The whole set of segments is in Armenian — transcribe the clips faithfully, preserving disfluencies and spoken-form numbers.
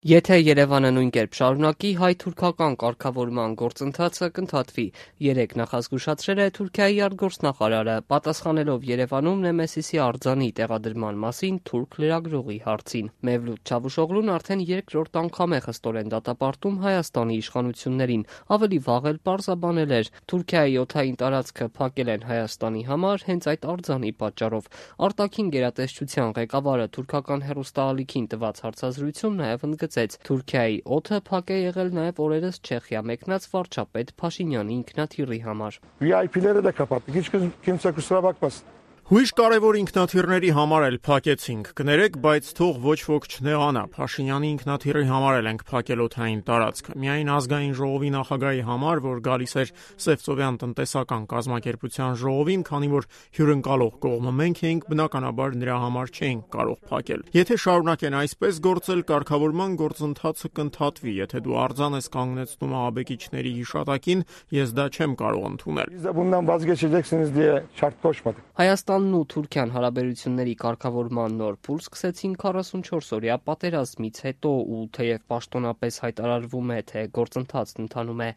Եթե Երևանը նույն կերպ շարունակի, հայ-թուրքական կարգավորման գործընթացը կընդհատվի, երեկ նախազգուշացրել է Թուրքիայի արտգործնախարարը, պատասխանելով Երևանում Նեմեսիսի արձանի տեղադրման մասին թուրք լրագրողի հարցին։ Մևլութ Չավուշօղլուն արդեն երկրորդ անգամ է խստորեն դատապարտում Հայաստանի իշխանություններին, ավելի վաղ էլ պարզաբանել էր՝ Թուրքիայի օդային տարածքը փակել են Հայաստանի համար հենց այդ արձանի պատճառով։ Արտաքին գերատեսչության ղեկավարը թուրքական հեռուստաալիքին տված հարցազրույցում նաև ընդգծեց՝ Թուրքիայի օդը փակ է եղել նաև օրերս Չեխիա մեկնած վարչապետ Փաշինյանի ինքնաթիռի համար։ վի այ փիները də kapattık. Hiç kimse kusura bakmasın. Հույժ կարևոր ինքնաթիռների համար էլ փակեցինք, կներեք, բայց թող ոչ ոք չնեղանա, Փաշինյանի ինքնաթիռի համար էլ ենք փակել օդային տարածքը, միայն ազգային ժողովի նախագահի համար, որ գալիս էր Սևծովյան տնտեսական կազմակերպության ժողովին, քանի որ հյուրընկալող կողմը մենք էինք, բնականաբար նրա համար չէինք կարող փակել։ Եթե շարունակեն այսպես գործել, կարգավորման գործընթացը կընդհատվի, եթե դու արձան ես կանգնեցնում ահաբեկիչների հիշատակին, ես դա չեմ կարող ընդունել։ Biz de bundan vazgeçeceksiniz diye şart koşmadık. Հայաստանն ու Թուրքիան հարաբերությունների կարգավորման նոր փուլ սկսեցին քառասունչորս-օրյա պատերազմից հետո, ու թեև պաշտոնապես հայտարարվում է, թե գործընթացն ընթանում է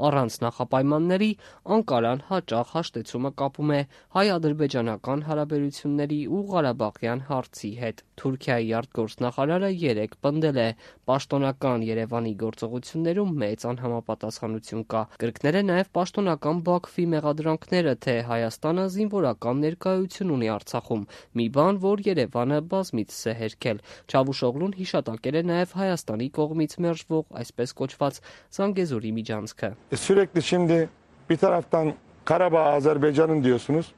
առանց նախապայմանների, Անկարան հաճախ հաշտեցումը կապում է հայ-ադրբեջանական հարաբերությունների ու Ղարաբաղյան հարցի հետ։ Թուրքիայի արտգործնախարարը երեկ պնդել է՝ պաշտոնական Երևանի գործողություններում մեծ անհամապատասխանություն կա։ Կրկնել է նաև պաշտոնական Բաքվի մեղադրանքները, թե Հայաստանը զինվորական ներկայություն ունի Արցախում, մի բան, որ Երևանը բազմիցս է հերքել։ Չավուշօղլուն հիշատակել է նաև Հայաստանի կողմից մերժվող այսպես կոչված Զանգեզուրի միջանցքը։ Sürekli şimdi bir taraftan Karabağ Azerbaycan'ın diyorsunuz.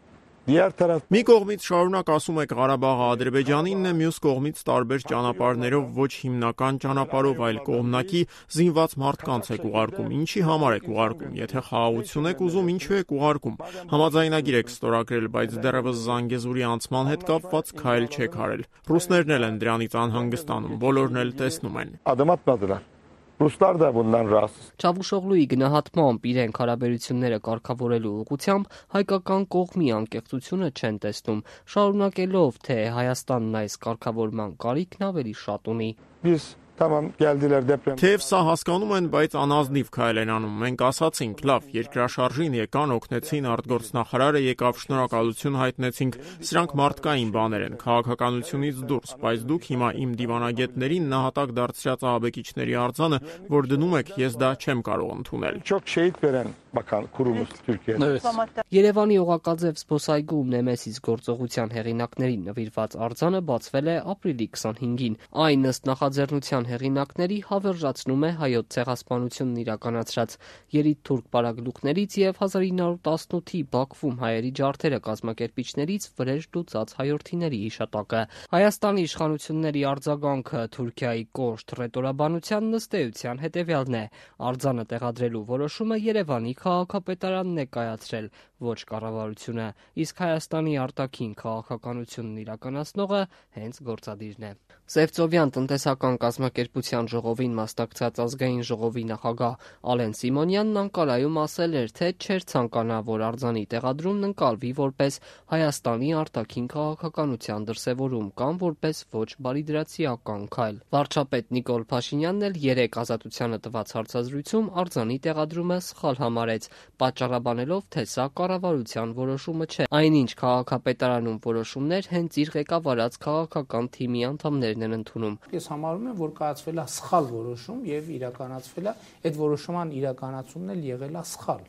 Diğer taraf Մի կողմից շարունակ ասում եք Ղարաբաղը Ադրբեջանինն է, մյուս կողմից տարբեր ճանապարհներով, ոչ հիմնական ճանապարհով, այլ կողմնակի զինված մարդկանց եք ուղարկում։ Ինչի համար եք ուղարկում։ Եթե խաղաղություն եք ուզում, ինչու եք ուղարկում։ Համաձայնագիր եք ստորագրել, բայց դեռևս Զանգեզուրի անցման հետ կապված քայլ չեք արել։ Ռուսներն էլ են դրանից անհանգստանում, բոլորն էլ տեսնում են։ adım atmadılar. Ruslar da bundan rahatsız. Չավուշօղլուի գնահատմամբ իրենք հարաբերությունները կարգավորելու ուղղությամբ հայկական կողմի անկեղծությունը չեն տեսնում, շարունակելով, թե Հայաստանն այս կարգավորման կարիքն ավելի շատ ունի։ Biz tamam geldiler deprem. Թեև սա հասկանում են, բայց անազնիվ քայլ են անում։ Մենք ասացինք, լավ, երկրաշարժին եկան, օգնեցին, արտգործնախարարը եկավ, շնորհակալություն հայտնեցինք, սրանք մարդկային բաներ են, քաղաքականությունից դուրս, բայց դուք հիմա իմ դիվանագետներին նահատակ դարձրած ահաբեկիչների արձանը, որ դնում եք, ես դա չեմ կարող ընդունել։ Çok şehit veren bakan kurumuz Türkiye'de. Երևանի Օղակաձև զբոսայգում Նեմեսիս գործողության հեղինակներին նվիրված արձանը բացվել է ապրիլի քսանհինգին։ Այն ըստ նախաձեռնության հեղինակների հավերժացնում է հայոց ցեղասպանությունն իրականացրած երիտթուրք պարագլուխներից եւ հազար ինը հարյուր տասնութի Բաքվում հայերի ջարդերը կազմակերպիչներից վրեժ լուծած հայրենիների հիշատակը։ Հայաստանի իշխանությունների արձագանքը Թուրքիայի կոշտ ռետորաբանությանն ըստ էության հետևյալն է՝ արձանը տեղադրելու որոշումը Երևանի քաղաքապետարանն է կայացրել, ոչ կառավարությունը, իսկ Հայաստանի արտաքին քաղաքականությունն իրականացնողը հենց գործադիրն է։ Սևծովյան տնտեսական կազմակերպության ժողովին մասնակցած ազգային ժողովի նախագահ Ալեն Սիմոնյանն Անկարայում ասել էր, թե չէր ցանկանա, որ արձանի տեղադրումն ընկալվի որպես Հայաստանի արտաքին քաղաքականության դրսևորում կամ որպես ոչ բարիդրացիական քայլ։ Վարչապետ Նիկոլ Փաշինյանն էլ երեկ Ազատությանը տված հարցազրույցում արձանի տեղադրումը սխալ համարեց, պատճառաբանելով, թե սա կառավարության որոշումը չէ։ Այնինչ քաղաքապետարանում որոշումներ հենց իր ղեկավարած քաղաքական թիմի անդամներն են ընդունում։ Ես համարում եմ, որ կայացվել է սխալ որոշում եւ իրականացվել է այդ որոշման իրականացումն էլ եղել է սխալ։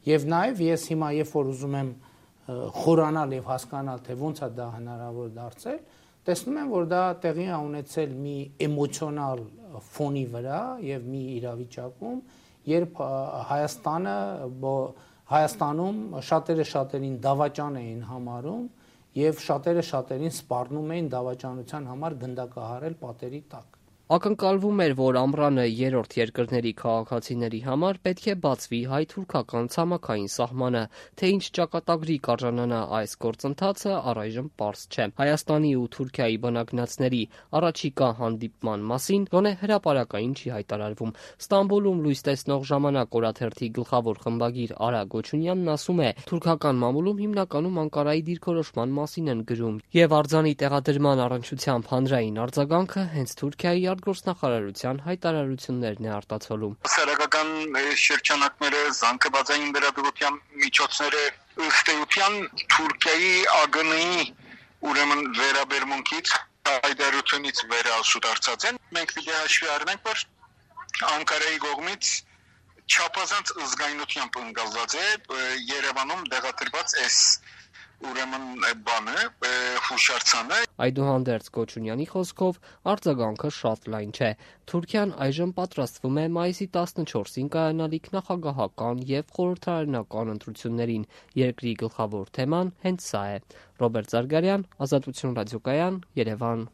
Եվ նաեւ ես հիմա երբ որ ուզում եմ խորանալ եւ հասկանալ, թե ոնց է դա հնարավոր դարձել, տեսնում եմ, որ դա տեղի է ունեցել մի էմոցիոնալ ֆոնի վրա եւ մի իրավիճակում, երբ Հայաստանը Հայաստանում շատերը շատերին դավաճան էին համարում եւ շատերը շատերին սպառնում էին դավաճանության համար գնդակահարել պատերի տակ։ Ակնկալվում էր, որ ամռանը երրորդ երկրների քաղաքացիների համար պետք է բացվի հայ-թուրքական ցամաքային սահմանը, թե ինչ ճակատագրի կարժանանա այս գործընթացը առայժմ պարզ չէ։ Հայաստանի ու Թուրքիայի բանակնացների առաջիկա հանդիպման մասին գոնե հրապարակային չի հայտարարվում։ Ստամբուլում լույս տեսնող ժամանակ օրաթերթի գլխավոր խմբագիր Արա Գոչունյանն ասում է, թուրքական մամուլում հիմնականում Անկարայի դիրքորոշման մասին են գրում, եւ արձանի տեղադրման առնչությամբ հանրային արձագանքը հենց Թուրքիայի արտգործնախարարության հայտարարություններն է արտացոլում։ Սարակական շրջանակները, զանգվածային վերաբերության միջոցները ըստ էության Թուրքիայի ԱԳՆ-ի ուրեմն վերաբերմունքից հայտարարությունից վերահասուդարձած են։ Մենք պիտի հաշվի առնենք, որ Անկարայի կողմից չափազանց զգայունությամբ ընկալված է Երևանում դեղադրված այս ուրեմն բանը, հուշարձանը։ Այդուհանդերձ Կոչունյանի խոսքով արձագանքը շատ լայն չէ։ Թուրքիան այժմ պատրաստվում է մայիսի տասնչորսին կայանալիք նախագահական եւ խորհրդարանական ընտրություններին։ Երկրի գլխավոր թեման հենց սա է։ Ռոբերտ Զարգարյան, Ազատություն ռադիոկայան, Երևան։